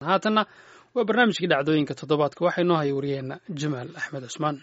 Haatanna waa barnaamijkii dhacdooyinka toddobaadka. Waxaa inoo haya wariyaheenna Jamaal Axmed Cusmaan.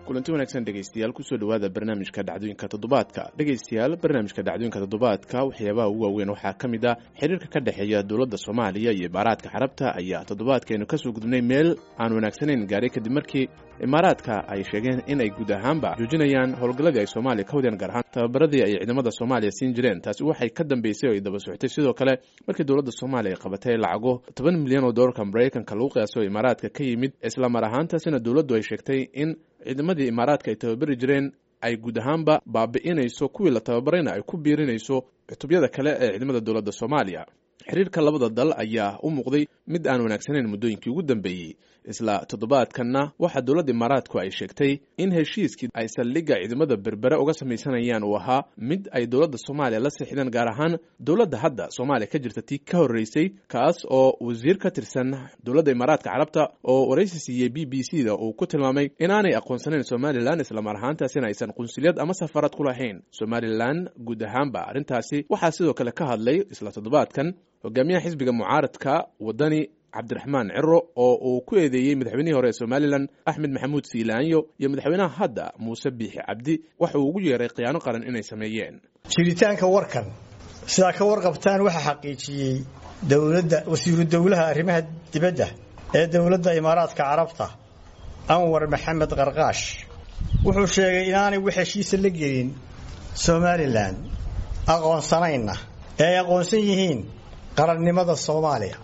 Kulanti wanaagsan dhegeystayaal, kusoo dhowaada barnaamijka dhacdooyinka toddobaadka. Dhegeystayaal, barnaamijka dhacdooyinka toddobaadka waxyaabaha ugu waaweyn waxaa ka mid ah xiriirka ka dhexeeya dowladda Soomaaliya iyo Imaaraadka Carabta ayaa toddobaadkaynu kasoo gudubnay meel aan wanaagsanayn gaaray, kadib markii Imaaraadka ay sheegeen in ay guud ahaanba joojinayaan howlgalladii ay Soomaaliya ka wadeen, gaar ahaan tababaradii ay ciidamada Soomaaliya siin jireen. Taasi waxay ka dambeysay oo ay daba socotay sidoo kale markii dowladda Soomaaliya ay qabatay lacago 10 milyan oo doolarka Maraykanka lagu qiyaaso Imaaraadka ka yimid, isla mar ahaantaasina dowladdu ay sheegtay in ciidamadii Imaaraadka ay tababari jireen ay guud ahaanba baabi'inayso, kuwii la tababarayna ay ku biirinayso cutubyada kale ee ciidamada dowladda Soomaaliya. Xiriirka labada dal ayaa u muuqday mid aan wanaagsanayn muddooyinkii ugu dambeeyey. Isla toddobaadkanna waxaa dowladda Imaaraadku ay sheegtay in heshiiskii ay saldhigga ciidamada Berbere uga samaysanayaan uu ahaa mid ay dowladda Soomaaliya la sixdeen, gaar ahaan dowladda hadda Soomaaliya ka jirta tii ka horreysay, kaas oo wasiir ka tirsan dowladda Imaaraadka Carabta oo waraysi siiyey BBC da uu ku tilmaamay inaanay aqoonsanayn Somalilan, islamar ahaantaasina aysan qunsuliyad ama safarad ku lahayn Somalilan guud ahaanba. Arrintaasi waxaa sidoo kale ka hadlay isla toddobaadkan hogaamiyaha xisbiga mucaaradka Wadani, Cabdiraxmaan Ciro, oo uu ku eedeeyey madaxweynihii hore ee Somalilan Axmed Maxamuud Siilaanyo iyo madaxweynaha hadda Muuse Biixi Cabdi waxa uu ugu yeeray khiyaano qaran inay sameeyeen. Jiritaanka warkan, sidaa ka warqabtaan, waxaa xaqiijiyey dowladda wasiiru dowlaha arrimaha dibadda ee dowladda Imaaraadka Carabta, Anwar Maxamed Qarqaash. Wuxuu sheegay inaanay wax heshiisa la gelin Somalilan, aqoonsanayna ee ay aqoonsan yihiin qarannimada Soomaaliya.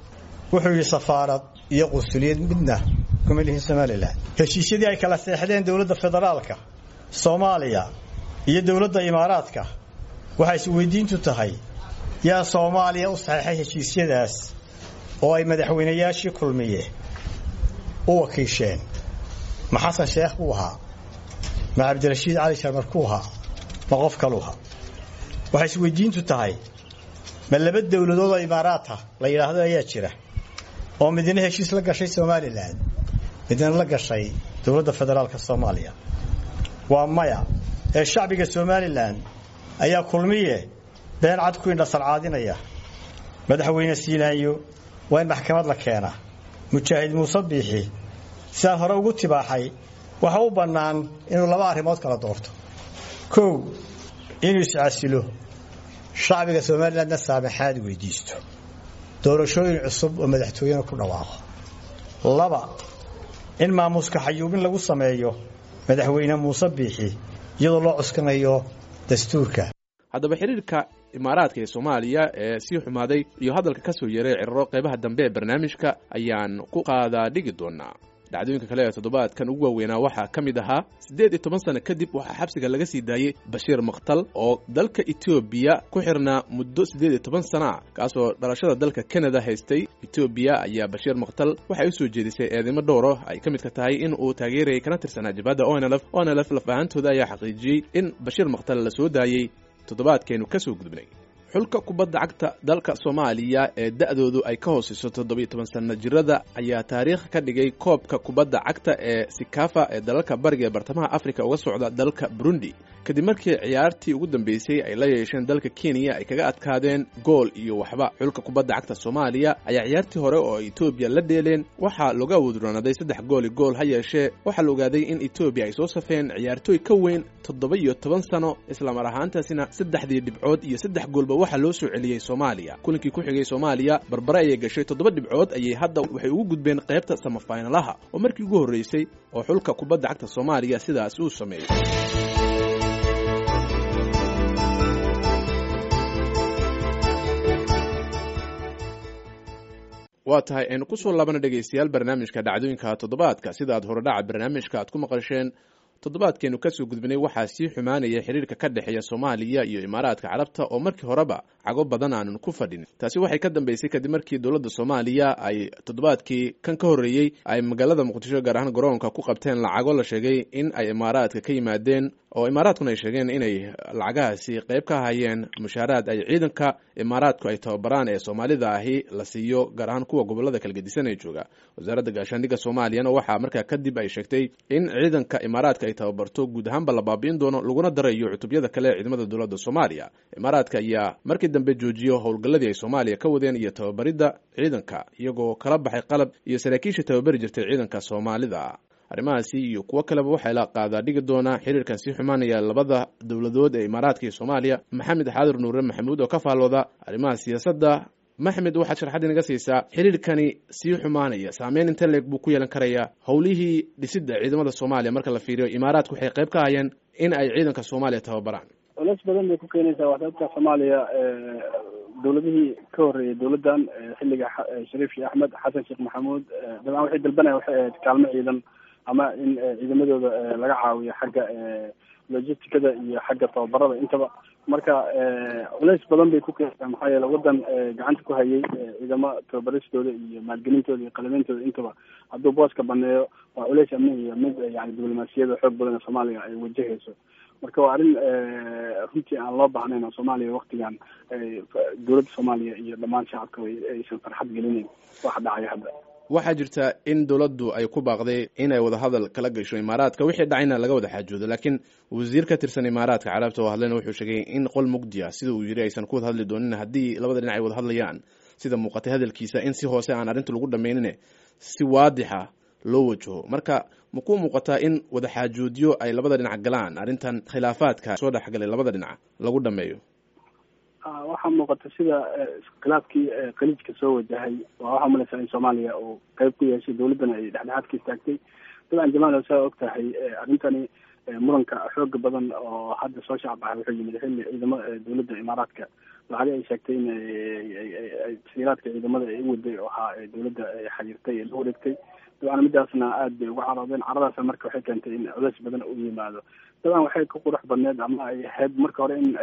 Wuxuu yidhi safaarad iyo qunsuliyad midna kuma lihin Somalilan. Heshiisyadii ay kala seexdeen dowladda federaalka Soomaaliya iyo dowladda Imaaraadka, waxay isweydiintu tahay: yaa Soomaaliya u saxeexay heshiisyadaas oo ay madaxweynayaashii Kulmiye u wakiisheen? Ma Xasan Sheekh buu ahaa? Ma Cabdirashiid Cali Sharmarkuu ahaa? Ma qof kaluu ahaa? Waxay isweydiintu tahay: ma laba dowladood oo Imaaraata la yidhaahdo ayaa jira oo midna heshiis la gashay Somalilan, midna la gashay dowladda federaalka Soomaaliya? Waa maya, ee shacbiga Somalilan ayaa Kulmiye been cad ku indhasarcaadinaya. Madaxweyne Siilaanyo waa in maxkamad la keenaa. Mujaahid Muuse Biixi, sidaan hore ugu tibaaxay, waxa u bannaan inuu laba arrimood kala doorto: kow, inuu iscasilo, shacbiga Somalilandna saamaxaad weydiisto, doorashooyin cusub oo madaxtooyena ku dhawaaqo; laba, in maamuuska xayuubin lagu sameeyo madaxweyne Muuse Biixi iyadoo loo cuskanayo dastuurka. Haddaba xiriirka Imaaraadka ee Soomaaliya ee sii xumaaday iyo hadalka ka soo yeeray Cirro qaybaha dambe ee barnaamijka ayaan ku qaadaa dhigi doonaa. Dhacdooyinka kale ee toddobaadkan ugu waaweynaa waxaa ka mid ahaa 18 sano kadib waxaa xabsiga laga sii daayey Bashiir Makhtal oo dalka Etoobiya ku xirnaa muddo 18 sana ah, kaasoo dhalashada dalka Kanada haystay. Etoobiya ayaa Bashiir Makhtal waxay u soo jeedisay eedeymo dhowro ay ka midka tahay in uu taageerayay kana tirsanaa jabhadda ONLF. ONLF laf ahaantooda ayaa xaqiijiyey in Bashiir Makhtal la soo daayey toddobaadkaynu ka soo gudubnay. Xulka kubadda cagta dalka Soomaaliya ee da'doodu ay ka hooseyso 17 sanno jirada ayaa taariikh ka dhigay koobka kubadda cagta ee Sikafa ee dalalka bariga ee bartamaha Afrika uga socda dalka Burundi, kadib markii ciyaartii ugu dambeysay ay la yeesheen dalka Kenya ay kaga adkaadeen gool iyo waxba. Xulka kubadda cagta Soomaaliya ayaa ciyaartii hore oo Etoobiya la dheeleen waxaa looga awoodroonaaday 3 gool i gool. Ha yeeshee waxaa la ogaaday in Etoobiya ay soo safeen ciyaartooy ka weyn 17 sano, islamar ahaantaasina saddexdii dhibcood iyo saddex goolba waxaa loo soo celiyey Soomaaliya. Kulinkii ku xigay Soomaaliya barbare ayay gashay. Toddoba dhibcood ayay hadda waxay ugu gudbeen qaybta samafaynalaha, oo markii ugu horreysay oo xulka kubadda cagta Soomaaliya sidaas uu sameeyey. Waa tahay, aynu kusoo laabana dhegaystayaal barnaamijka dhacdooyinka toddobaadka. Sida aad horedhaca barnaamijka aad ku maqasheen, toddobaadkeenu kasoo gudbinay waxaa sii xumaanaya xiriirka ka dhexeeya Soomaaliya iyo Imaaraadka Carabta oo markii horeba cago badan aanan ku fadhin. Taasi waxay ka dambeysay kadib markii dowladda Soomaaliya ay toddobaadkii kan ka horreeyey ay magaalada Muqdisho, gaar ahaan garoonka, ku qabteen lacago la sheegay in ay Imaaraadka ka yimaadeen. oo imaaraadkuna ay sheegeen inay lacagahaasi qayb ka hayeen mushaaraad ay ciidanka imaaraadku ay tababaraan ee soomaalida ahi la siiyo, gaar ahaan kuwa gobolada kala gedisan ee jooga. Wasaaradda gaashaandhigga Soomaaliyana waxaa markaa kadib ay sheegtay in ciidanka imaaraadka ay tababarto guud ahaanba la baabi'in doono, laguna darayo cutubyada kale ee ciidamada dowladda Soomaaliya. Imaaraadka ayaa markii dambe joojiyo howlgalladii ay Soomaaliya ka wadeen iyo tababaridda ciidanka, iyagoo kala baxay qalab iyo saraakiisha tababari jirtay ciidanka Soomaalida. Arrimahaasi iyo kuwo kaleba waxaa la qaadaa dhigi doonaa xiriirkan sii xumaanaya labada dowladood ee Imaaraadka iyo Soomaaliya. Maxamed Xaadir Nuure Maxamuud oo ka faallooda arrimaha siyaasadda. Maxamed, waxaad sharxad inaga siisaa xiriirkani sii xumaanaya saameyn inta leeg buu ku yeelan karayaa howlihii dhisidda ciidamada Soomaaliya? Marka la fiiriyo, Imaaraadku waxay qayb ka hayeen in ay ciidanka Soomaaliya tababaraan. Culeys badan bay ku keenaysaa. Waa sababta Soomaaliya dowladihii ka horreeyay dowladdan, xilliga Shariif Sheekh Axmed, Xasan Sheekh Maxamuud, dabcan waxay dalbanaya waxay ahayd kaalmo ciidan ama in ciidamadooda laga caawiyo xagga logisticada iyo xagga tababarada intaba. Marka culeys badan bay ku keenaysaa, maxaa yeele waddan gacanta ku hayay ciidamo tababaristooda iyo maalgelintooda iyo qalabeyntooda intaba hadduu booska baneeyo, waa culeys amni iyo mid yani diblomaasiyada xoog badan ee Soomaaliya ay wajahayso. Marka waa arrin runtii aan loo baahnayn oo Soomaaliya waktigan dowladda Soomaaliya iyo dhammaan shacabka aysan farxad gelinayn waxa dhacaya hadda. Waxaa jirta in dowladdu ay ku baaqday inay wadahadal kala gasho Imaaraadka, wixii dhacayna laga wada xaajoodo, laakiin wasiir ka tirsan Imaaraadka Carabta oo hadlayna wuxuu sheegay in qol mugdi ah, sida uu yidhi, aysan ku wada hadli doonin haddii labada dhinac ay wada hadlayaan. Sida muuqatay hadalkiisa, in si hoose aan arrinta lagu dhammaynine si waadixa loo wajaho. Marka ma ku muuqataa in wadaxaajoodyo ay labada dhinac galaan, arrintan khilaafaadka soo dhexgalay labada dhinac lagu dhameeyo? Waxaa muuqata sida iskhilaafkii Khaliijka soo wajahay waa waxaa umalaysaa in Soomaaliya uu qayb ku yeeshay, dowladdana ay dhexdhexaad ka istaagtay. Dabcan Jamaal, saa og tahay, arrintani muranka xooga badan oo hadda soo shacbaxay wuxuu yimid xilli ciidamo dowladda Imaaraadka lacag ay sheegtay in tasiiraadka ciidamada ay u waday oo ahaa dowladda xiriirtay ee la wareegtay. Dabcan midaasna aad bay uga caroodeen. Caradaasa marka waxay keentay in culeys badan uu yimaado. Dabcan waxay ku qurux badneed ama ay ahayd marka hore in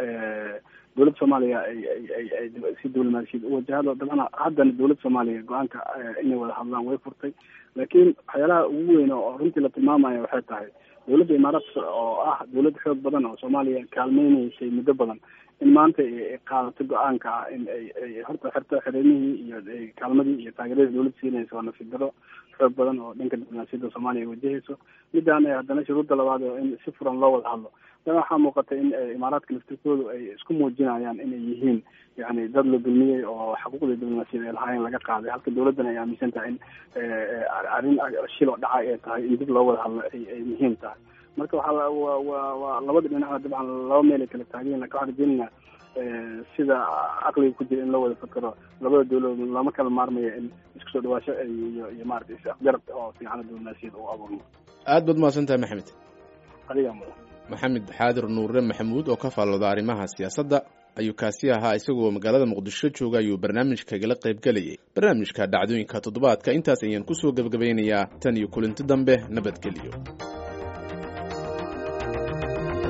dowladda Soomaaliya ay si diblomaasiyad u wajahdo. Dabcan haddana dowladda Soomaaliya go-aanka inay wada hadlaan way furtay, laakiin waxyaalaha ugu weyn oo runtii la tilmaamaya waxay tahay dowladda Imaaraadka oo ah dowlad xoog badan oo Soomaaliya kaalmeynaysay muddo badan in maanta ay qaadato go-aanka ah in ay horta xirto xereymihii iyo kaalmadii iyo taageeradii dowladda siinaysa, waa nasiib daro xoog badan oo dhanka diblomaasiyadda Soomaaliya ay wajahayso. Midaan haddana shuruudda labaad oo in si furan loo wada hadlo. Dan waxaa muuqata in Imaaraadka laftirkoodu ay isku muujinayaan inay yihiin yani dad la dulmiyey oo xuquuqda diblomaasiyad ay lahaayeen laga qaaday, halka dowladdana ay aaminsan tahay in arrin shil oo dhacay ay tahay in dib loo wada hadlo ay muhiim tahay. Marka waxaa waa labada dhinacna dabcan laba meel ay kala taageen, lakin waxaan rajeynayna sida caqliga ku jira in loo wada fakero labada dowladood lama kala maarmayo in isku soo dhawaasho iyo maarata is-afgarab oo fiicana diblomaasiyad uu abuurmo. Aad baad mahadsan tahay, Maxamed. Adigaa mudan. Maxamed Xaadir Nuure Maxamuud oo ka faallooda arrimaha siyaasadda ayuu kaasi ahaa. Isagoo magaalada Muqdisho jooga ayuu barnaamijka igala qayb gelayay. Barnaamijka dhacdooyinka toddobaadka intaas ayaan kusoo gebagabaynayaa. Tan iyo kulinti dambe, nabadgeliyo.